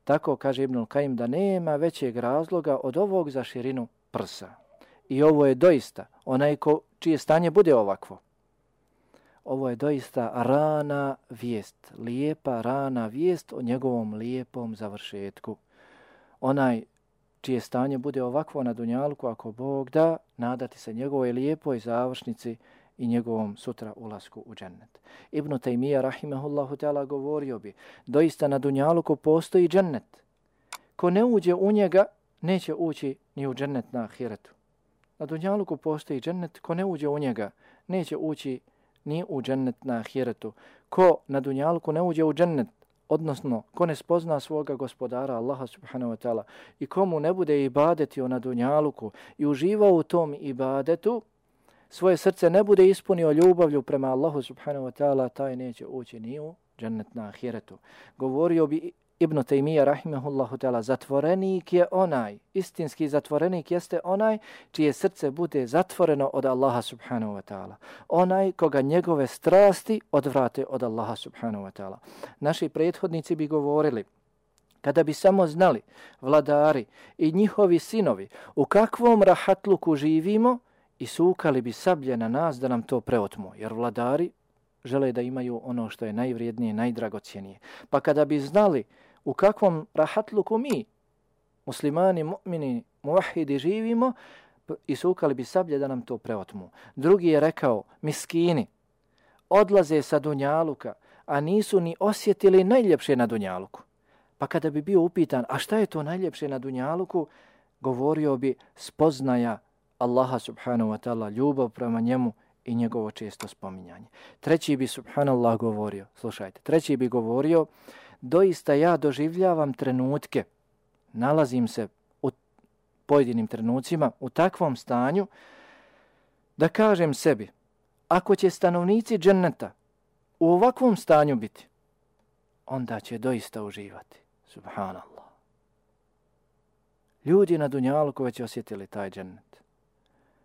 B: Tako kaže Ibn Kajim da nema većeg razloga od ovog za širinu prsa. I ovo je doista onaj čije stanje bude ovakvo. Ovo je doista rana vijest, lijepa rana vijest o njegovom lijepom završetku. Onaj čije stanje bude ovakvo na dunjalku, ako Bog da, nadati se njegovoj lijepoj završnici i njegovom sutra ulasku u džennet. Ibn Tejmija rahimahullahu ta'ala govorio bi, doista na dunjalku postoji džennet. Ko ne uđe u njega, neće ući ni u džennet na ahiretu. Na dunjalku postoji džennet, ko ne uđe u njega, neće ući ni u džennet na ahiretu. Ko na dunjalku ne uđe u džennet, odnosno ko ne spozna svoga gospodara Allaha subhanahu wa ta'ala i komu ne bude ibadetio na dunjaluku i uživao u tom ibadetu, svoje srce ne bude ispunio ljubavlju prema Allahu subhanahu wa ta'ala, taj neće ući ni u džennet na ahiretu. Govorio bi Ibn Tejmija rahimahullahu ta'ala, zatvorenik je onaj, istinski zatvorenik jeste onaj čije srce bude zatvoreno od Allaha subhanahu wa ta'ala. Onaj koga njegove strasti odvrate od Allaha subhanahu wa ta'ala. Naši prethodnici bi govorili, kada bi samo znali vladari i njihovi sinovi u kakvom rahatluku živimo, i sukali bi sablje na nas da nam to preotmu, jer vladari žele da imaju ono što je najvrijednije, najdragocjenije. Pa kada bi znali u kakvom rahatluku mi, muslimani, mu'mini, muvahidi živimo, i sukali bi sablje da nam to preotmu. Drugi je rekao, miskini odlaze sa dunjaluka, a nisu ni osjetili najljepše na dunjaluku. Pa kada bi bio upitan, a šta je to najljepše na dunjaluku, govorio bi spoznaja Allaha subhanahu wa ta'ala, ljubav prema njemu i njegovo često spominjanje. Treći bi subhanallah govorio, slušajte, treći bi govorio, doista ja doživljavam trenutke, nalazim se u pojedinim trenucima u takvom stanju da kažem sebi, ako će stanovnici dženneta u ovakvom stanju biti, onda će doista uživati. Subhanallah. Ljudi na dunjaluku već osjetili taj džennet.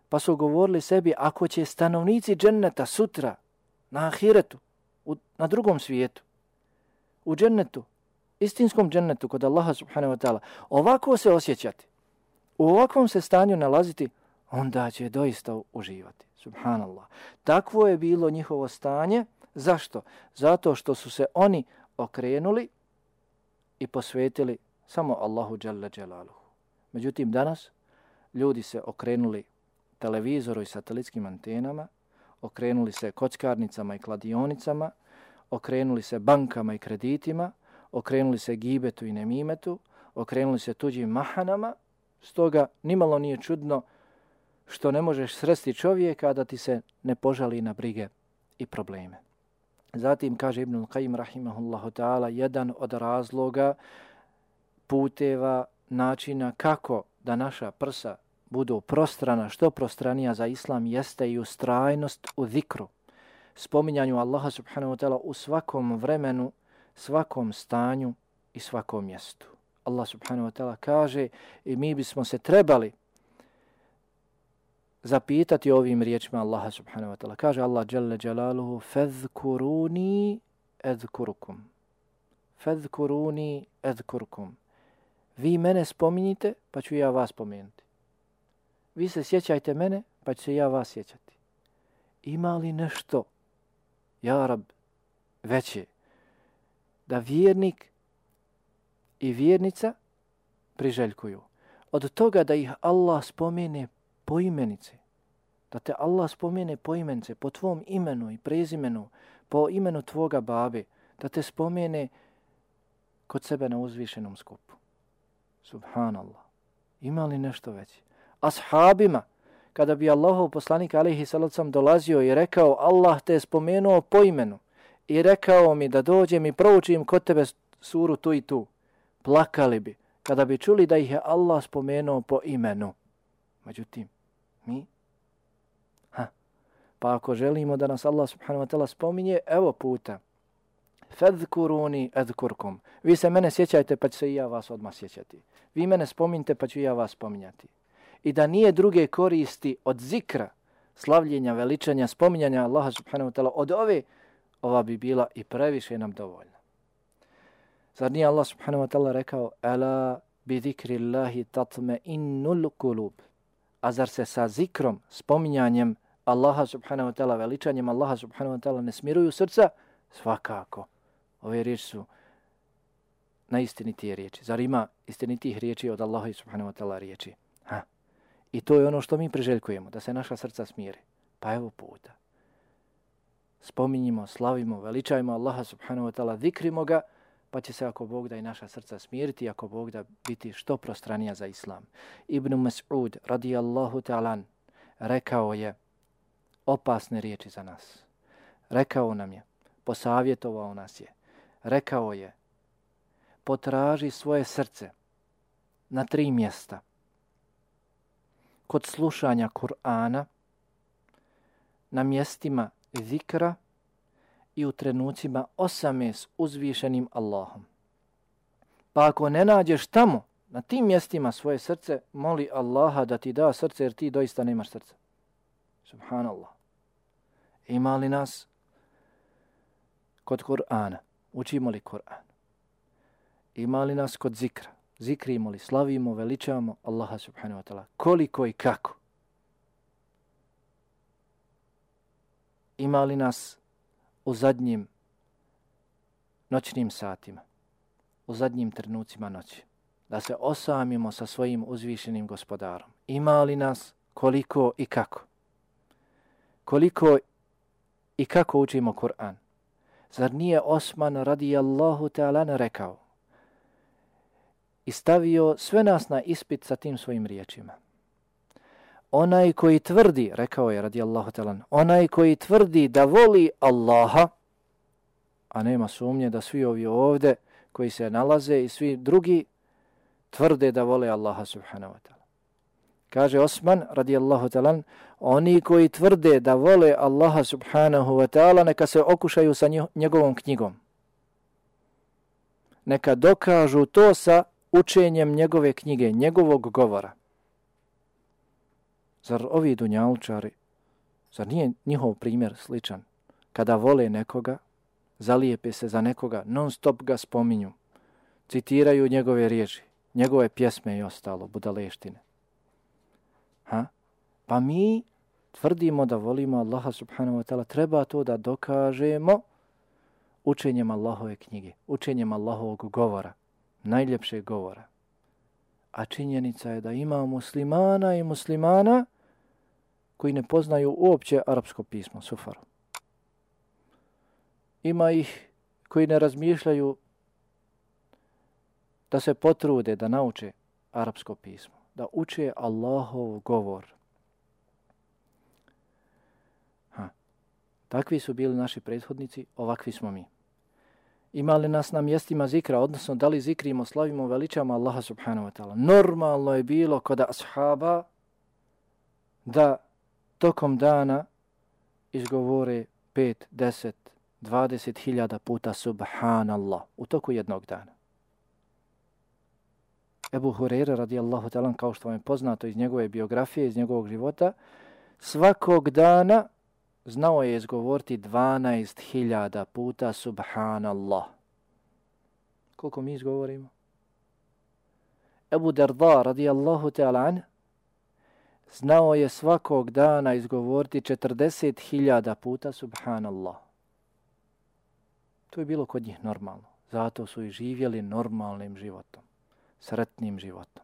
B: Pa su govorili sebi, ako će stanovnici dženneta sutra na ahiretu, na drugom svijetu, u džennetu, istinskom džennetu kod Allaha subhanahu wa ta'ala, ovako se osjećati, u ovakvom se stanju nalaziti, onda će doista uživati. Subhanallah. Takvo je bilo njihovo stanje. Zašto? Zato što su se oni okrenuli i posvetili samo Allahu dželle dželaluhu. Međutim, danas ljudi se okrenuli televizoru i satelitskim antenama, okrenuli se kockarnicama i kladionicama, okrenuli se bankama i kreditima, okrenuli se gibetu i nemimetu, okrenuli se tuđim mahanama, stoga nimalo nije čudno što ne možeš sresti čovjeka da ti se ne požali na brige i probleme. Zatim kaže Ibn Kajim rahimahullahu ta'ala, jedan od razloga, puteva, načina kako da naša prsa budu prostrana, što prostranija za islam, jeste i ustrajnost u zikru. spominjanju Allaha subhanahu wa ta'ala u svakom vremenu, svakom stanju i svakom mjestu. Allah subhanahu wa ta'ala kaže i mi bismo se trebali zapitati ovim riječima Allaha subhanahu wa ta'ala. Kaže Allah jalla jalaluhu fadhkuruni adhkurukum. Fadhkuruni adhkurukum. Vi mene spominjite, pa ću ja vas spomenuti. Vi se sjećajte mene, pa ću se ja vas sjećati. Ima li nešto, ja Rab, veće, da vjernik i vjernica priželjkuju? Od toga da ih Allah spomene po imenice, da te Allah spomene po imenice, po tvom imenu i prezimenu, po imenu tvoga babe, da te spomene kod sebe na uzvišenom skupu. Subhanallah. Ima li nešto veće? Ashabima, kada bi Allahov poslanik alejhi salatu vesselam dolazio i rekao Allah te je spomenuo po imenu i rekao mi da dođem i proučim kod tebe suru tu i tu, plakali bi kada bi čuli da ih je Allah spomenuo po imenu. Međutim, mi? Pa ako želimo da nas Allah subhanahu wa ta'ala spominje, evo puta. Fadhkuruni adhkurkum. Vi se mene sjećajte pa ću se i ja vas odmah sjećati. Vi mene spominjte pa ću ja vas spominjati. I da nije druge koristi od zikra, slavljenja, veličanja, spominjanja Allaha subhanahu wa ta'ala od ova bi bila i previše nam dovoljna. Zar nije Allah subhanahu wa ta'ala rekao ala bi zikrillahi tatma'innul qulub. A zar se sa zikrom, spominjanjem Allaha subhanahu wa ta'ala, veličanjem Allaha subhanahu wa ta'ala ne smiruju srca? Svakako. Ove riječi su najistinitije riječi. Zar ima istinitih riječi od Allaha subhanahu wa ta'ala riječi? I to je ono što mi priželjkujemo, da se naša srca smire. Pa evo puta. Spominjimo, slavimo, veličajmo Allaha subhanahu wa ta'ala, zikrimo ga, pa će se ako Bog da i naša srca smiriti, ako Bog da biti što prostranija za Islam. Ibn Mas'ud radijallahu ta'alan rekao je opasne riječi za nas. Rekao nam je, posavjetovao nas je, rekao je potraži svoje srce na 3 mjesta. Kod slušanja Kur'ana, na mjestima zikra i u trenucima osame s uzvišenim Allahom. Pa ako ne nađeš tamo, na tim mjestima svoje srce, moli Allaha da ti da srce jer ti doista nemaš srca. Subhanallah. Ima li nas kod Kur'ana? Učimo li Kur'an? Ima li nas kod zikra? Zikrimo li, slavimo, veličamo Allaha subhanahu wa ta'ala? Koliko i kako? Ima li nas u zadnjim noćnim satima, u zadnjim trenucima noći, da se osamimo sa svojim uzvišenim gospodarom? Ima li nas, koliko i kako? Koliko i kako učimo Kur'an? Zar nije Osman radijallahu ta'ala rekao i stavio sve nas na ispit sa tim svojim riječima? Onaj koji tvrdi, rekao je radijallahu ta'ala, onaj koji tvrdi da voli Allaha, a nema sumnje da svi ovi ovdje koji se nalaze i svi drugi tvrde da vole Allaha subhanahu wa ta'ala. Kaže Osman radijallahu ta'ala, oni koji tvrde da vole Allaha subhanahu wa ta'ala neka se okušaju sa njegovom knjigom. Neka dokažu to sa učenjem njegove knjige, njegovog govora. Zar ovi dunjalučari, zar nije njihov primjer sličan? Kada vole nekoga, zalijepe se za nekoga, non stop ga spominju, citiraju njegove riječi, njegove pjesme i ostalo, budaleštine. Pa mi tvrdimo da volimo Allaha subhanahu wa ta'ala, treba to da dokažemo učenjem Allahove knjige, učenjem Allahovog govora, najljepšeg govora. A činjenica je da ima muslimana i muslimana koji ne poznaju uopće arapsko pismo, sufaru. Ima ih koji ne razmišljaju da se potrude da nauče arapsko pismo, da uče Allahov govor. Takvi su bili naši prethodnici, ovakvi smo mi. Imali nas na mjestima zikra, odnosno da li zikrimo, slavimo, veličamo Allaha subhanahu wa ta'ala. Normalno je bilo kod ashaba da tokom dana izgovore 5, 10, 20.000 puta subhanallah u toku jednog dana. Ebu Hureyre radijallahu ta'ala, kao što vam je poznato iz njegove biografije, iz njegovog života, svakog dana znao je izgovoriti 12.000 puta subhanallah. Koliko mi izgovorimo? Ebu Darda radijallahu ta'ala an znao je svakog dana izgovoriti 40.000 puta subhanallah. To je bilo kod njih normalno. Zato su i živjeli normalnim životom, sretnim životom.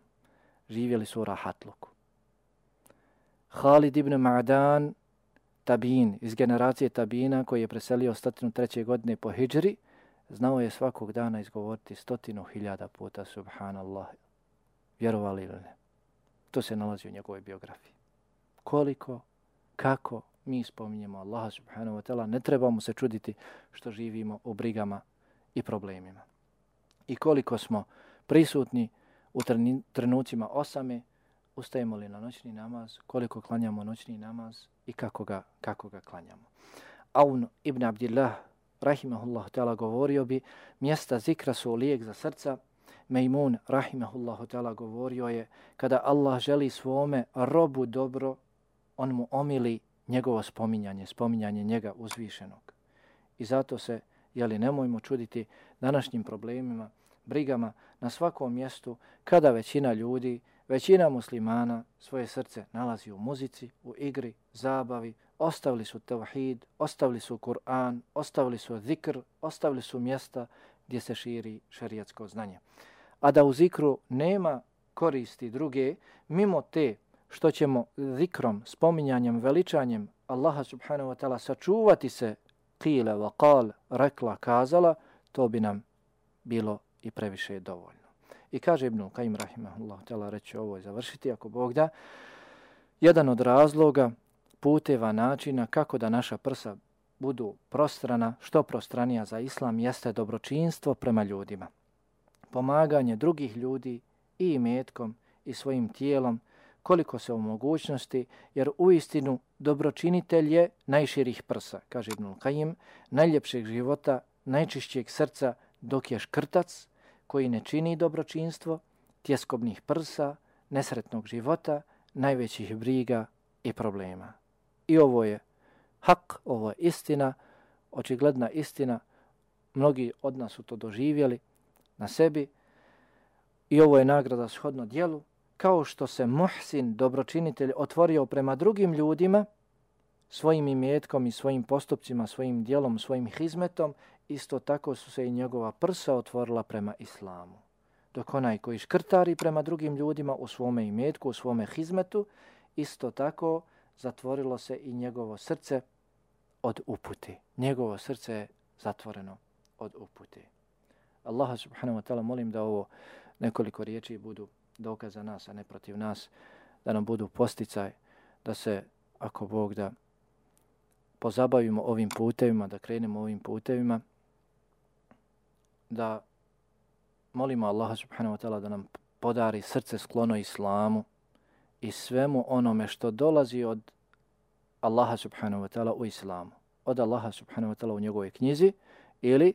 B: Živjeli su u rahatluku. Halid ibn Ma'dan, tabin, iz generacije tabina koji je preselio 103. godine po hidžri, znao je svakog dana izgovoriti 100.000 puta subhanallah. Vjerovali ili ne? To se nalazi u njegovoj biografiji. Koliko, kako mi spominjemo Allaha subhanahu wa ta'ala, ne trebamo se čuditi što živimo u brigama i problemima. I koliko smo prisutni u trenucima osame, ustajemo li na noćni namaz, koliko klanjamo noćni namaz i kako ga klanjamo. Aun ibn Abdillah, rahimahullahu ta'ala, govorio bi, mjesta zikra su lijek za srca. Mejmun, rahimahullahu ta'ala, govorio je, kada Allah želi svome robu dobro, on mu omili njegovo spominjanje njega uzvišenog. I zato se, nemojmo čuditi današnjim problemima, brigama na svakom mjestu, kada većina ljudi, većina muslimana svoje srce nalazi u muzici, u igri, zabavi, ostavili su tevhid, ostavili su Kur'an, ostavili su zikr, ostavili su mjesta gdje se širi šerijatsko znanje. A da u zikru nema koristi druge, mimo te što ćemo zikrom, spominjanjem, veličanjem Allaha subhanahu wa ta'ala sačuvati se qila wa qal, rekla, kazala, to bi nam bilo i previše dovoljno. I kaže Ibn Qayyim rahimahullah ta'ala, reći ovo i završiti ako Bog da, jedan od razloga, puteva, načina kako da naša prsa budu prostrana, što prostranija za islam, jeste dobročinstvo prema ljudima. Pomaganje drugih ljudi i imetkom i svojim tijelom, koliko se u mogućnosti, jer uistinu dobročinitelj je najširih prsa, kaže Ibn Qayyim, najljepšeg života, najčišćeg srca, dok je škrtac koji ne čini dobročinstvo, tjeskobnih prsa, nesretnog života, najvećih briga i problema. I ovo je hak, ovo je istina, očigledna istina, mnogi od nas su to doživjeli na sebi i ovo je nagrada shodno djelu, kao što se muhsin, dobročinitelj, otvorio prema drugim ljudima, svojim imetkom i svojim postupcima, svojim djelom, svojim hizmetom, isto tako su se i njegova prsa otvorila prema islamu. Dok onaj koji škrtari prema drugim ljudima u svome imetku, u svome hizmetu, isto tako zatvorilo se i njegovo srce od upute. Njegovo srce je zatvoreno od upute. Allaha subhanahu wa ta'ala molim da ovo nekoliko riječi budu dokaz za nas, a ne protiv nas, da nam budu posticaj, da se, ako Bog da, pozabavimo ovim putevima, da krenemo ovim putevima, da molimo Allaha subhanahu wa ta'ala da nam podari srce sklono islamu i svemu onome što dolazi od Allaha subhanahu wa ta'ala u islamu. Od Allaha subhanahu wa ta'ala u njegovoj knjizi ili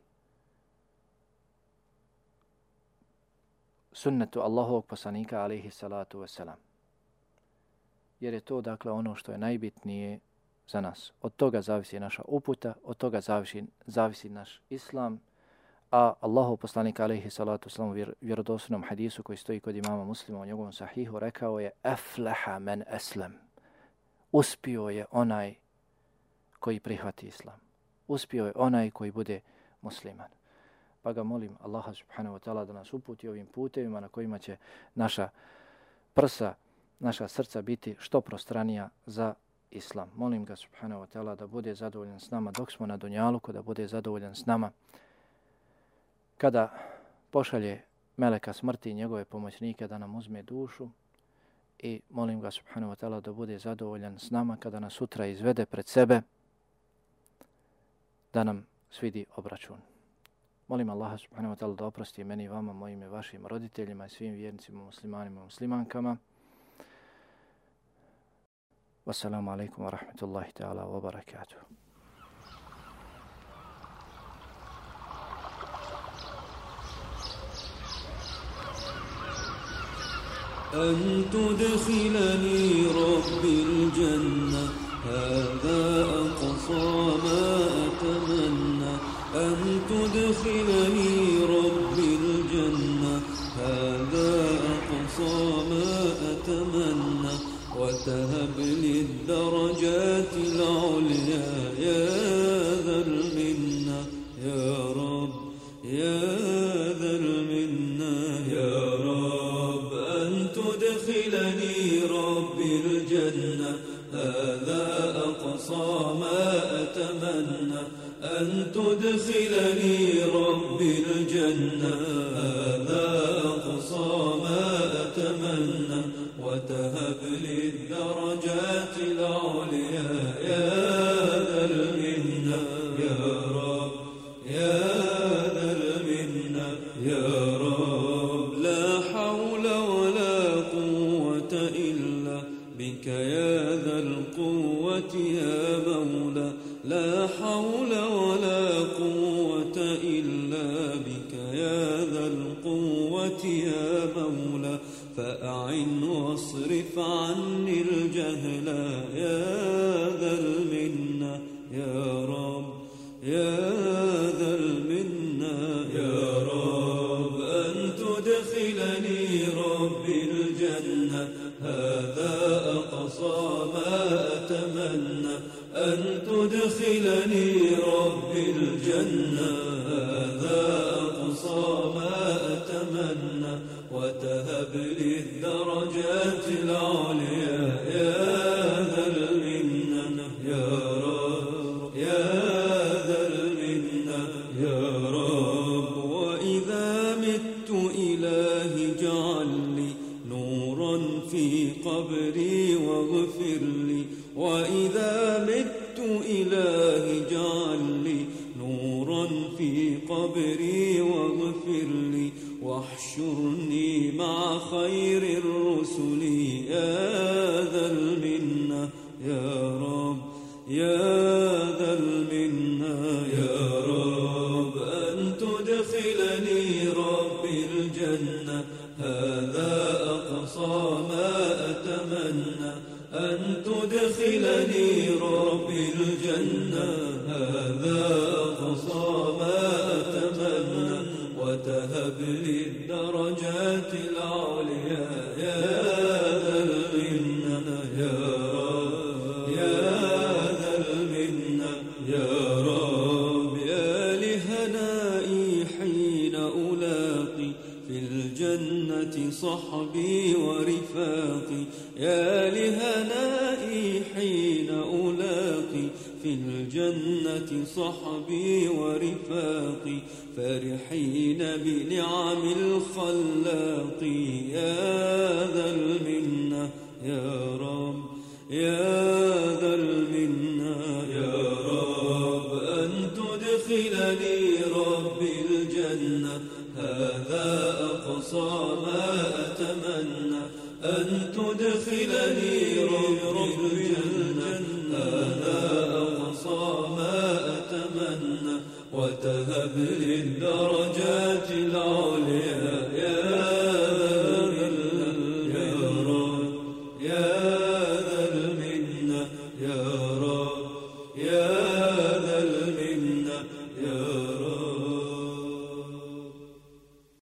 B: sunnetu Allahovog poslanika alejhi salatu vesselam. Jer je to dakle ono što je najbitnije za nas. Od toga zavisi naša uputa, od toga zavisi naš islam, a Allahov poslanik alejhi salatu vesselam u vjerodostojnom hadisu koji stoji kod imama Muslima u njegovom sahihu rekao je aflaha men aslam. Uspio je onaj koji prihvati islam. Uspio je onaj koji bude musliman. Pa ga molim Allaha subhanahu wa ta'ala da nas uputi ovim putevima na kojima će naša prsa, naša srca biti što prostranija za islam. Molim ga subhanahu wa ta'ala da bude zadovoljan s nama dok smo na dunjaluku, da bude zadovoljan s nama kada pošalje meleka smrti i njegove pomoćnike da nam uzme dušu, i molim ga subhanahu wa ta'ala da bude zadovoljan s nama kada nas sutra izvede pred sebe, da nam svidi obračun. Molim Allaha subhanahu wa ta'ala da oprosti meni i vama, mojim i vašim roditeljima i svim vjernicima, muslimanima i muslimankama. Wassalamu alaikum wa rahmatullahi ta'ala wa barakatuh.
A: أن تدخلني ربي الجنة هذا أقصى ما أتمنى أن تدخلني ربي الجنة هذا أقصى ما أتمنى وتهب لي الدرجات العليا يا ذا المنة يا رب يا ذا المنة يا رب أن تدخلني ربي الجنة هذا أقصى ما أتمنى أن تدخلني ربي الجنة هذا أقصى ما أتمنى وتهب لي الدرجات العليا يا ذا المنة يا رب يا ذا المنة يا رب لا حول ولا قوة إلا بك يا ذا القوة يا مولى لا حول ولا قوة إلا بك يا ذا القوة يا مولى فأعن واصرف عني الجهل يا ذا المنة يا رب يا ذا المنة يا رب أن تدخلني ربي الجنة هذا أقصى ما أتمنى أن تدخلني ربي الجنة هذا أقصى ما أتمنى وتهب لي الدرجات العليا يا ذا المنة يا رب يا ذا المنة يا رب وإذا مت إلهي اجعل لي نورا في قبري واغفر لي وإذا مت إلهي اجعل لي نورا في قبري واغفر لي واحشرني مع خير الرسل يا ذا المنة يا رب يا ذا المنة يا رب أن تدخلني ربي الجنة هذا أقصى ما أتمنى أن تدخلني ربي الجنة هذا أقصى ما أتمنى وتهب لي الدرجات العليا يا ذا المنة يا رب يا ذا المنة يا رب يا لهنائي حين ألاقي في الجنة صحبي ورفاقي يا لهنائي حين ألاقي في الجنة صحبي ورفاقي فرحين بنعم الخلاق يا ذا المنة يا رب يا ذا المنة يا رب أن تدخلني ربي الجنة هذا أقصى ما أتمنى أن تدخلني ربي الجنة هذا أقصى ما أتمنى وتهب لي الدرجات العليا يا رب يا ذا المنة يا رب يا